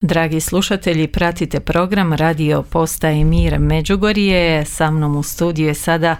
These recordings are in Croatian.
Dragi slušatelji, pratite program Radio Postaje Mir Međugorje. Sa mnom u studiju je sada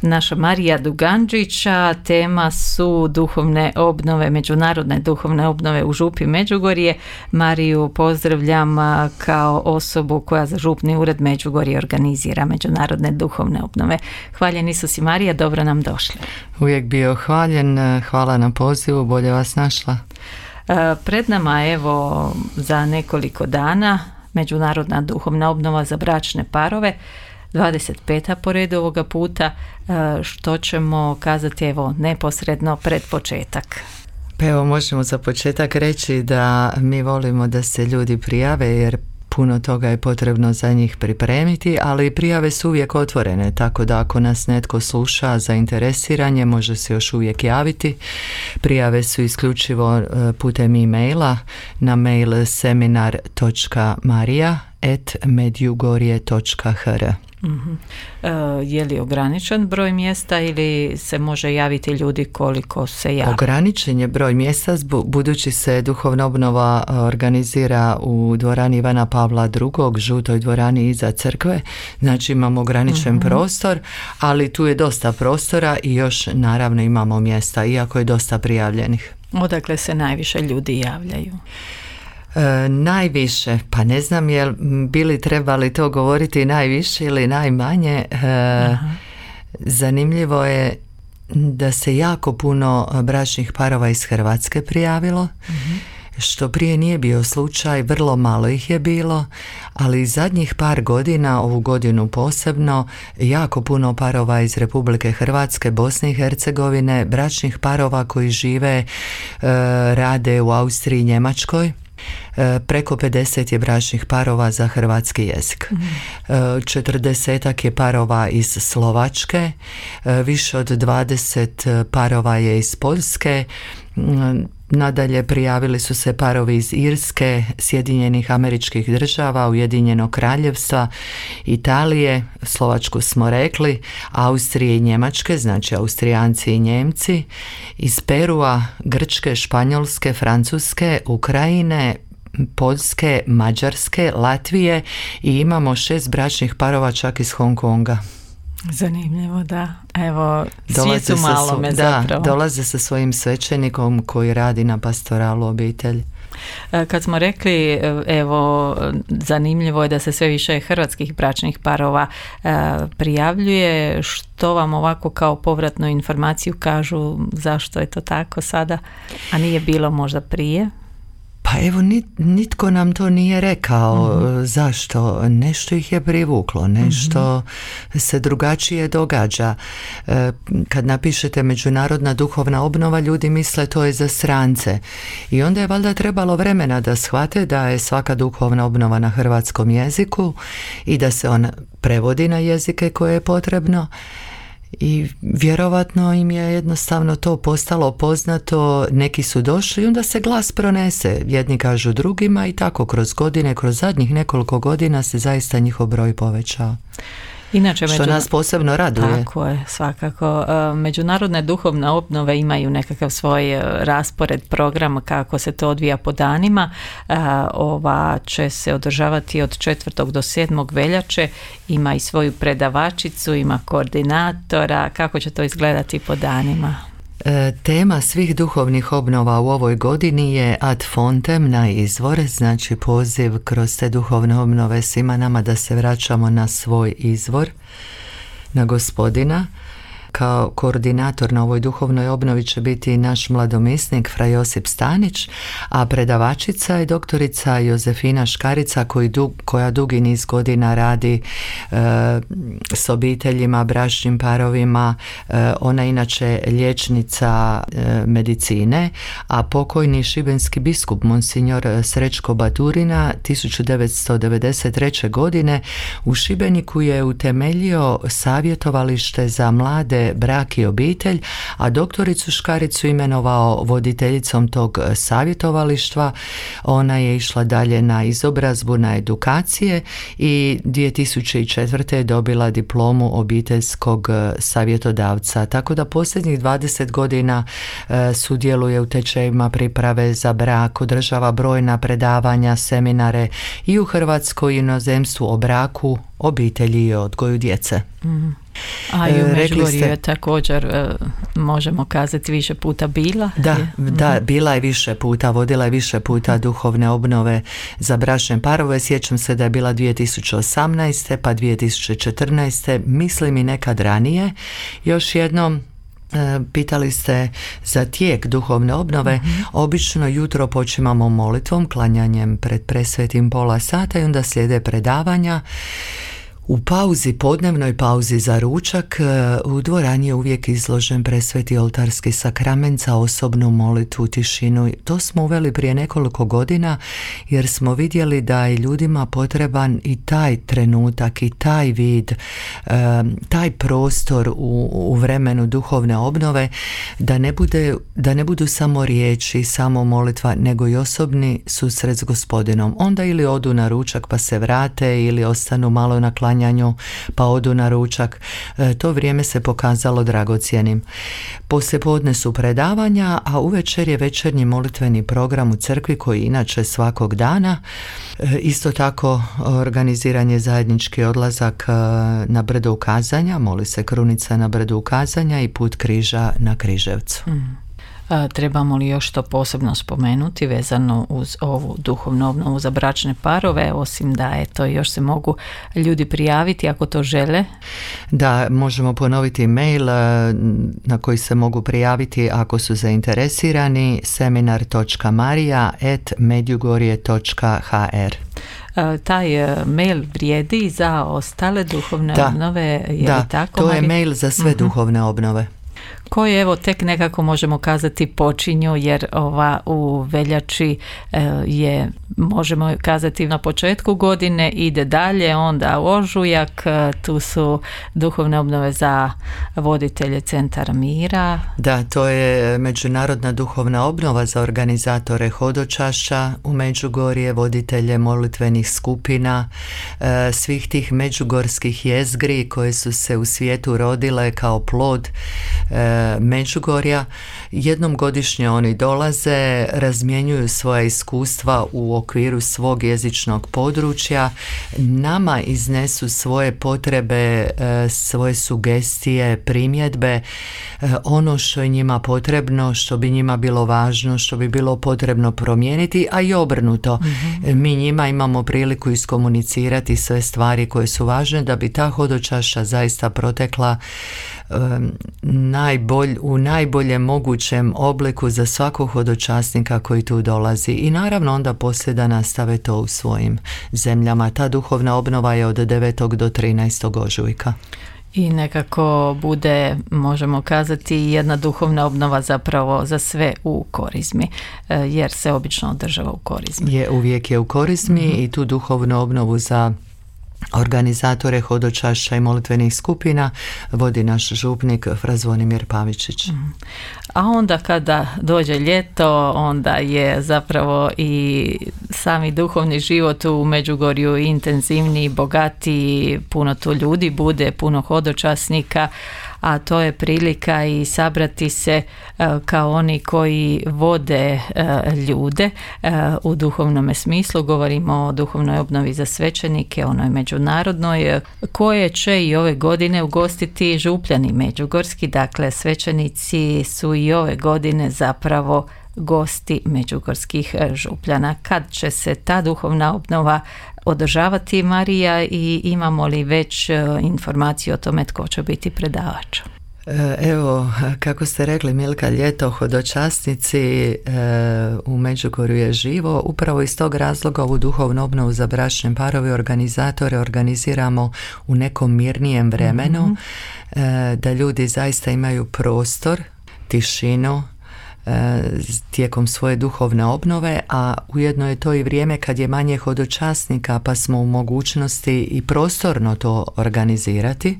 naša Marija Duganđića. Tema su duhovne obnove, međunarodne duhovne obnove u Župi Međugorje. Mariju pozdravljam kao osobu koja za Župni ured Međugorje organizira međunarodne duhovne obnove. Hvaljen Isus i Marija, dobro nam došli. Uvijek bio hvaljen, hvala na pozivu, bolje vas našla. Pred nama evo za nekoliko dana međunarodna duhovna obnova za bračne parove, 25. po redu ovoga puta, što ćemo kazati evo neposredno pred početak. Pa evo možemo za početak reći da mi volimo da se ljudi prijave jer puno toga je potrebno za njih pripremiti, ali prijave su uvijek otvorene, tako da ako nas netko sluša zainteresiranje, može se još uvijek javiti. Prijave su isključivo putem e-maila na mail seminar.marija@medjugorje.hr. Je li ograničen broj mjesta ili se može javiti ljudi koliko se javi? Ograničen je broj mjesta budući se duhovna obnova organizira u dvorani Ivana Pavla II, žutoj dvorani iza crkve, znači imamo ograničen prostor, ali tu je dosta prostora i još naravno imamo mjesta, iako je dosta prijavljenih. Odakle se najviše ljudi javljaju? Najviše, pa ne znam jel bili trebali to govoriti najviše ili najmanje. Zanimljivo je da se jako puno bračnih parova iz Hrvatske prijavilo, što prije nije bio slučaj, vrlo malo ih je bilo, ali zadnjih par godina, ovu godinu posebno, jako puno parova iz Republike Hrvatske, Bosne i Hercegovine, bračnih parova koji žive, rade u Austriji i Njemačkoj. Preko 50 je bračnih parova za hrvatski jezik. 40 je parova iz Slovačke, više od 20 parova je iz Poljske. Nadalje prijavili su se parovi iz Irske, Sjedinjenih Američkih Država, Ujedinjenog Kraljevstva, Italije, Slovačku smo rekli, Austrije i Njemačke, znači Austrijanci i Njemci, iz Perua, Grčke, Španjolske, Francuske, Ukrajine, Poljske, Mađarske, Latvije i imamo 6 bračnih parova čak iz Hong Konga. Zanimljivo, da. Evo, svijetu malome zapravo. Dolaze sa svojim svećenikom koji radi na pastoralu obitelji. Kad smo rekli, evo, zanimljivo je da se sve više hrvatskih bračnih parova prijavljuje. Što vam ovako kao povratnu informaciju kažu zašto je to tako sada, a nije bilo možda prije? Pa evo, nitko nam to nije rekao zašto. Nešto ih je privuklo, nešto se drugačije događa. Kad napišete međunarodna duhovna obnova, ljudi misle to je za strance. I onda je valjda trebalo vremena da shvate da je svaka duhovna obnova na hrvatskom jeziku i da se ona prevodi na jezike koje je potrebno. I vjerovatno im je jednostavno to postalo poznato, neki su došli i onda se glas pronese, jedni kažu drugima i tako kroz godine, kroz zadnjih nekoliko godina se zaista njihov broj povećao. Inače, što nas posebno raduje. Tako je, svakako. Međunarodne duhovne obnove imaju nekakav svoj raspored, program kako se to odvija po danima. Ova će se održavati od 4. do 7. veljače. Ima i svoju predavačicu, ima koordinatora. Kako će to izgledati po danima? Tema svih duhovnih obnova u ovoj godini je ad fontem, na izvor, znači poziv kroz te duhovne obnove svima nama da se vraćamo na svoj izvor, na Gospodina. Kao koordinator na ovoj duhovnoj obnovi će biti naš mladomisnik fra Josip Stanić, a predavačica je doktorica Jozefina Škarica koja dugi niz godina radi s obiteljima, bračnim parovima. Ona je inače liječnica medicine, a pokojni šibenski biskup Monsignor Srećko Baturina 1993. godine u Šibeniku je utemeljio savjetovalište za mlade udruge Brak i obitelj, a doktoricu Škaricu imenovao voditeljicom tog savjetovalištva. Ona je išla dalje na izobrazbu, na edukacije i 2004. je dobila diplomu obiteljskog savjetodavca. Tako da posljednjih 20 godina sudjeluje u tečajevima priprave za brak, održava brojna predavanja, seminare i u Hrvatskoj i inozemstvu o braku, obitelji i odgoju djece. A i u Međugorju je također, možemo kazati, više puta bila? Da, bila je više puta, vodila je više puta duhovne obnove za bračne parove. Sjećam se da je bila 2018. pa 2014. Mislim i nekad ranije. Još jednom, pitali ste za tijek duhovne obnove. Obično jutro počimamo molitvom, klanjanjem pred presvetim pola sata i onda slijede predavanja. U pauzi, podnevnoj pauzi za ručak, u dvorani je uvijek izložen presveti oltarski sakrament za osobnu molitvu, tišinu. To smo uveli prije nekoliko godina jer smo vidjeli da je ljudima potreban i taj trenutak i taj vid, taj prostor u vremenu duhovne obnove, da ne budu samo riječi, samo molitva, nego i osobni susret s Gospodinom. Onda ili odu na ručak pa se vrate ili ostanu malo na klanjanju pa odu na ručak. To vrijeme se pokazalo dragocjenim. Poslijepodne su predavanja, a uvečer je večernji molitveni program u crkvi koji inače svakog dana. Isto tako organiziran je zajednički odlazak na brdo ukazanja, moli se krunica na brdu ukazanja i put križa na Križevcu. Trebamo li još to posebno spomenuti vezano uz ovu duhovnu obnovu za bračne parove, osim da još se mogu ljudi prijaviti ako to žele? Da, možemo ponoviti mail na koji se mogu prijaviti ako su zainteresirani: seminar.marija@medjugorje.hr. Taj mail vrijedi za ostale duhovne obnove? Da, tako, to je mail za sve duhovne obnove. Koje tek nekako možemo kazati počinju, jer u veljači je, možemo kazati, na početku godine, ide dalje, onda ožujak, tu su duhovne obnove za voditelje Centara mira. Da, to je međunarodna duhovna obnova za organizatore hodočašća u Međugorje, voditelje molitvenih skupina, svih tih međugorskih jezgri koje su se u svijetu rodile kao plod Međugorja. Jednom godišnje oni dolaze, razmjenjuju svoja iskustva u okviru svog jezičnog područja, nama iznesu svoje potrebe, svoje sugestije, primjedbe, ono što je njima potrebno, što bi njima bilo važno, što bi bilo potrebno promijeniti, a i obrnuto. Mi njima imamo priliku iskomunicirati sve stvari koje su važne da bi ta hodočašća zaista protekla u najboljem mogućem obliku za svakog hodočasnika koji tu dolazi. I naravno onda poslije da nastave to u svojim zemljama. Ta duhovna obnova je od 9. do 13. ožujka. I nekako bude, možemo kazati, jedna duhovna obnova zapravo za sve u Korizmi, jer se obično održava u Korizmi. Uvijek je u Korizmi i tu duhovnu obnovu za organizatore hodočašća i molitvenih skupina vodi naš župnik Fra Zvonimir Pavičić. A onda kada dođe ljeto, onda je zapravo i sami duhovni život u Međugorju intenzivniji, bogatiji, puno tu ljudi bude, puno hodočasnika, a to je prilika i sabrati se kao oni koji vode ljude u duhovnom smislu. Govorimo o duhovnoj obnovi za svećenike, onoj međunarodnoj, koje će i ove godine ugostiti župljani međugorski. Dakle, svećenici su i ove godine zapravo gosti međugorskih župljana. Kad će se ta duhovna obnova održavati, Marija, i imamo li već informaciju o tome tko će biti predavač? Evo, kako ste rekli, Milka, ljeto, hodočasnici u Međugorju je živo. Upravo iz tog razloga ovu duhovnu obnovu za bračne parove organizatore organiziramo u nekom mirnijem vremenu, da ljudi zaista imaju prostor, tišinu tijekom svoje duhovne obnove, a ujedno je to i vrijeme kad je manje hodočasnika, pa smo u mogućnosti i prostorno to organizirati.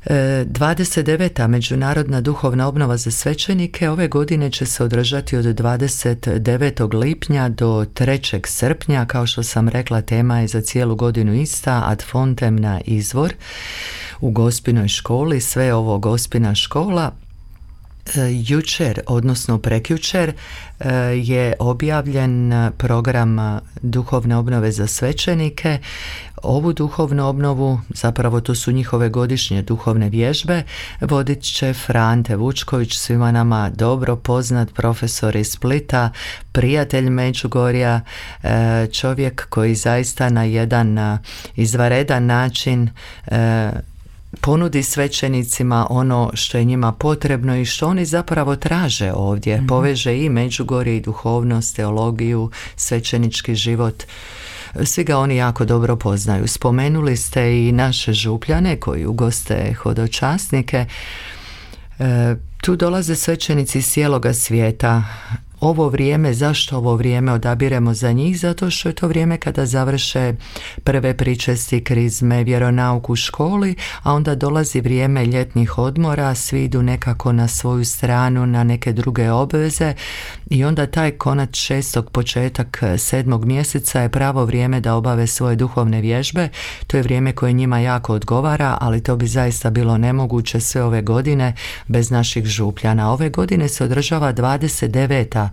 29. Međunarodna duhovna obnova za svećenike ove godine će se održati od 29. lipnja do 3. srpnja. Kao što sam rekla, tema je za cijelu godinu ista, ad fontem na izvor u Gospinoj školi. Sve ovo Gospina škola. Jučer, odnosno prekjučer, je objavljen program duhovne obnove za svećenike. Ovu duhovnu obnovu, zapravo to su njihove godišnje duhovne vježbe, vodit će Frante Vučković, svima nama dobro poznat profesor iz Splita, prijatelj Međugorja, čovjek koji zaista na jedan izvanredan način ponudi svećenicima ono što je njima potrebno i što oni zapravo traže ovdje. Poveže i Međugorje i duhovnost, teologiju, svećenički život. Svi ga oni jako dobro poznaju. Spomenuli ste i naše župljane koji ugoste hodočasnike. Tu dolaze svećenici iz cijeloga svijeta. Ovo vrijeme, zašto ovo vrijeme odabiremo za njih? Zato što je to vrijeme kada završe prve pričesti, krizme, vjeronauk u školi, a onda dolazi vrijeme ljetnih odmora, svi idu nekako na svoju stranu, na neke druge obveze i onda taj konac 6. početak 7. mjeseca je pravo vrijeme da obave svoje duhovne vježbe. To je vrijeme koje njima jako odgovara, ali to bi zaista bilo nemoguće sve ove godine bez naših župljana. Ove godine se održava 29.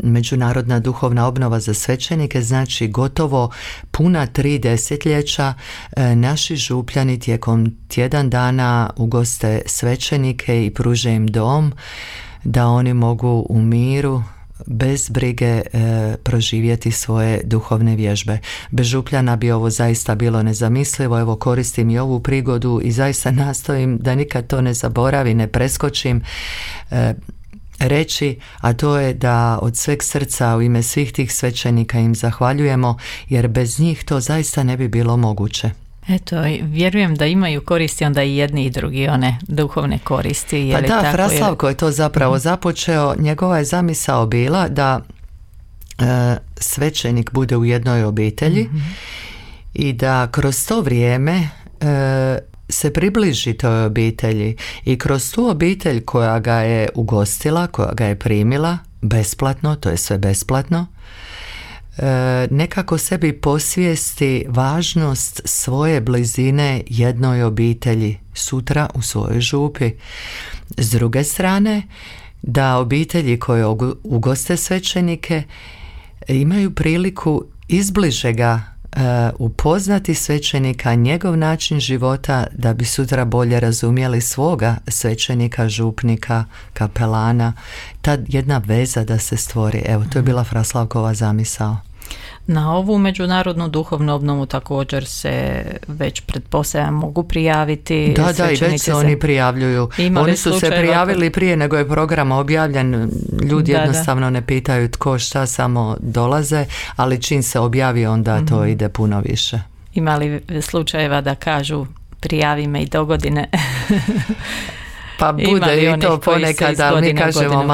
Međunarodna duhovna obnova za svećenike, znači gotovo puna 3 desetljeća naši župljani tijekom tjedan dana ugoste svećenike i pruže im dom da oni mogu u miru bez brige proživjeti svoje duhovne vježbe. Bez župljana bi ovo zaista bilo nezamislivo. Evo, koristim i ovu prigodu i zaista nastojim da nikad to ne zaboravim, ne preskočim reći, a to je da od sveg srca u ime svih tih svećenika im zahvaljujemo, jer bez njih to zaista ne bi bilo moguće. Eto, vjerujem da imaju koristi onda i jedni i drugi, one duhovne koristi. Je li pa da, tako? Fraslavko je to zapravo započeo. Njegova je zamisao bila da svećenik bude u jednoj obitelji i da kroz to vrijeme se približi toj obitelji i kroz tu obitelj koja ga je ugostila, koja ga je primila besplatno, to je sve besplatno, nekako sebi posvijesti važnost svoje blizine jednoj obitelji sutra u svojoj župi. S druge strane, da obitelji koje ugoste svećenike imaju priliku izbliže ga upoznati svećenika, njegov način života, da bi sutra bolje razumjeli svoga svećenika, župnika, kapelana, ta jedna veza da se stvori. Evo, to je bila Fraslavkova zamisao. Na ovu međunarodnu duhovnu obnovu također se već pretpostavljam mogu prijaviti. Da, i već se oni prijavljuju. Oni su se prijavili prije nego je program objavljen. Ljudi jednostavno ne pitaju tko šta, samo dolaze, ali čim se objavi onda to ide puno više. Ima li slučajeva da kažu prijavi me i do godine? Pa bude i to ponekad, ali mi kažemo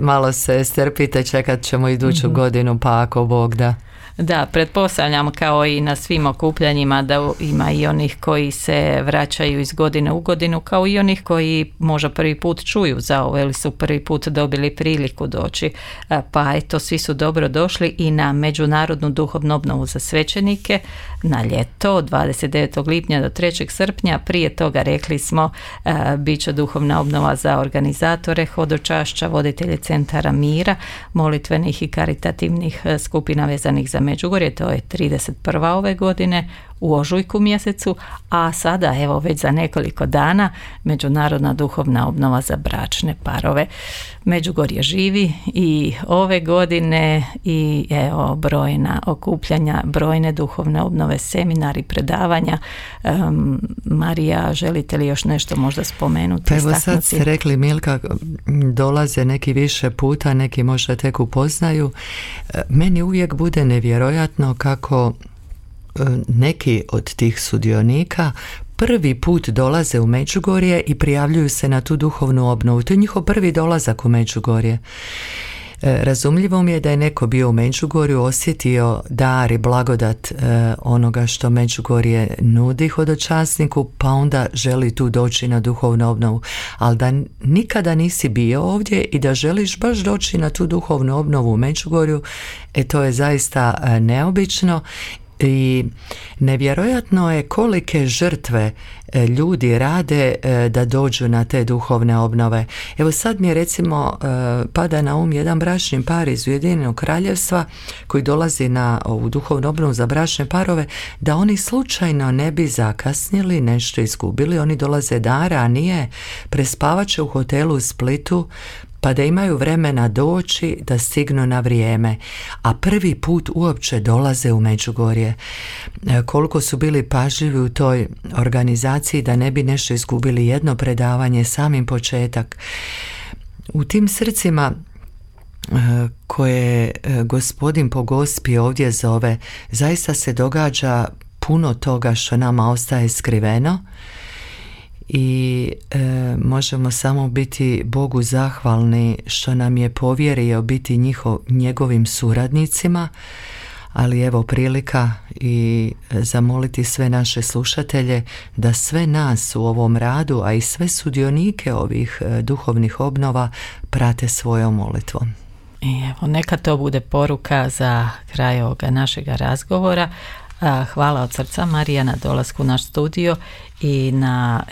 malo se strpite, čekat ćemo iduću godinu, pa ako Bog da. Da, pretpostavljam kao i na svim okupljanjima da ima i onih koji se vraćaju iz godine u godinu, kao i onih koji možda prvi put čuju za ovo ili su prvi put dobili priliku doći. Pa eto, svi su dobro došli i na međunarodnu duhovnu obnovu za svećenike na ljeto od 29. lipnja do 3. srpnja. Prije toga rekli smo bit će duhovna obnova za organizatore hodočašća, voditelje centara mira, molitvenih i karitativnih skupina vezanih za Međugorje, to je 31. ove godine u ožujku mjesecu, a sada evo već za nekoliko dana međunarodna duhovna obnova za bračne parove. Međugorje živi i ove godine i evo brojna okupljanja, brojne duhovne obnove, seminari, predavanja. Marija, želite li još nešto možda spomenuti? Pa evo sad ste rekli, Milka, dolaze neki više puta, neki možda tek upoznaju. Meni uvijek bude nevjerojatno kako neki od tih sudionika prvi put dolaze u Međugorje i prijavljuju se na tu duhovnu obnovu. To je njihov prvi dolazak u Međugorje. Razumljivo mi je da je neko bio u Međugorju, osjetio dar i blagodat onoga što Međugorje nudi hodočasniku, pa onda želi tu doći na duhovnu obnovu. Ali da nikada nisi bio ovdje i da želiš baš doći na tu duhovnu obnovu u Međugorju, to je zaista neobično. I nevjerojatno je kolike žrtve ljudi rade da dođu na te duhovne obnove. Evo sad mi je recimo pada na jedan bračni par iz Ujedinjenog Kraljevstva koji dolazi na ovu duhovnu obnovu za bračne parove, da oni slučajno ne bi zakasnili, nešto izgubili, oni dolaze da ranije, prespavat će u hotelu u Splitu, pa da imaju vremena doći da stignu na vrijeme, a prvi put uopće dolaze u Međugorje. Koliko su bili pažljivi u toj organizaciji da ne bi nešto izgubili, jedno predavanje, samim početak. U tim srcima koje Gospodin po Gospi ovdje zove, zaista se događa puno toga što nama ostaje skriveno. I možemo samo biti Bogu zahvalni što nam je povjerio biti njegovim suradnicima, ali evo prilika i zamoliti sve naše slušatelje da sve nas u ovom radu, a i sve sudionike ovih duhovnih obnova prate svojom molitvom. I evo, neka to bude poruka za kraj ovoga našega razgovora. Hvala od srca, Marija, na dolasku u naš studio i na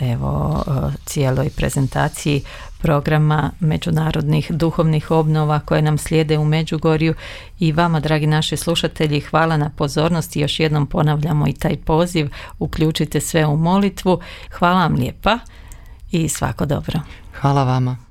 cijeloj prezentaciji programa međunarodnih duhovnih obnova koje nam slijede u Međugorju. I vama, dragi naši slušatelji, hvala na pozornosti. Još jednom ponavljamo i taj poziv, uključite sve u molitvu. Hvala vam lijepa i svako dobro. Hvala vama.